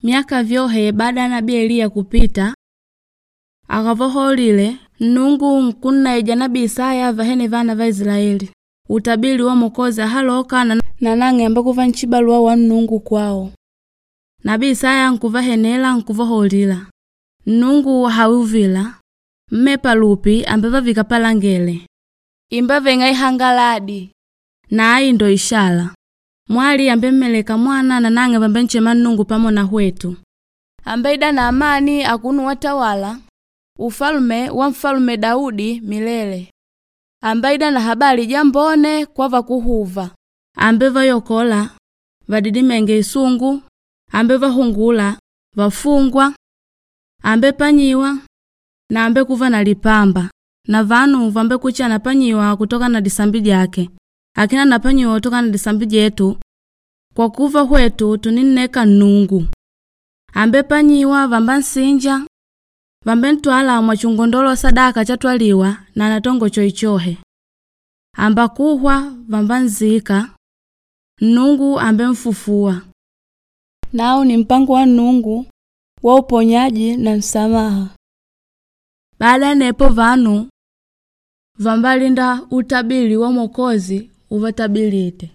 Myaka vyohe baada ya nabii Eliya kupita, akavaholile Nnungu nkunnaija nabii Isaya vahene vana va Isilaeli utabili wa Mokozi ahaloka na nang'e ambekuva nchibaluwa wa Nnungu kwao. Nabii Isaya nkuvahenela nkuvahaulila, Nnungu hauvila, mmepa lupi ambevavika palangele, imbaveng'a ihangaladi na ai ndo ishala. Mwali ambemmeleka mwana na nang'e vambenchema Nnungu pamo na hwetu. Ambeida na amani akunu watawala ufalume wa mfalume Daudi milele. Ambaida na habali jambone kwa vakuhuva, ambevayokola vadidimenge isungu, ambevahungula vafungwa, ambepanyiwa na ambekuva na lipamba na vanu vambekucha anapanyiwa kutoka na disambi dyake akina napanyiwa kutoka na disambi dyetu kwa kuva hwetu tuninneka Nnungu. Ambepanyiwa vambansinja vambentwala mwachingondolo sadaka chatwaliwa na natongo choichohe. Ambakuhwa vambanzika Nnungu ambemfufuwa. Nau ni mpango wa Nnungu wa uponyaji na msamaha. Baada nepo vanu vambalinda utabili wa Mwokozi uvatabilite.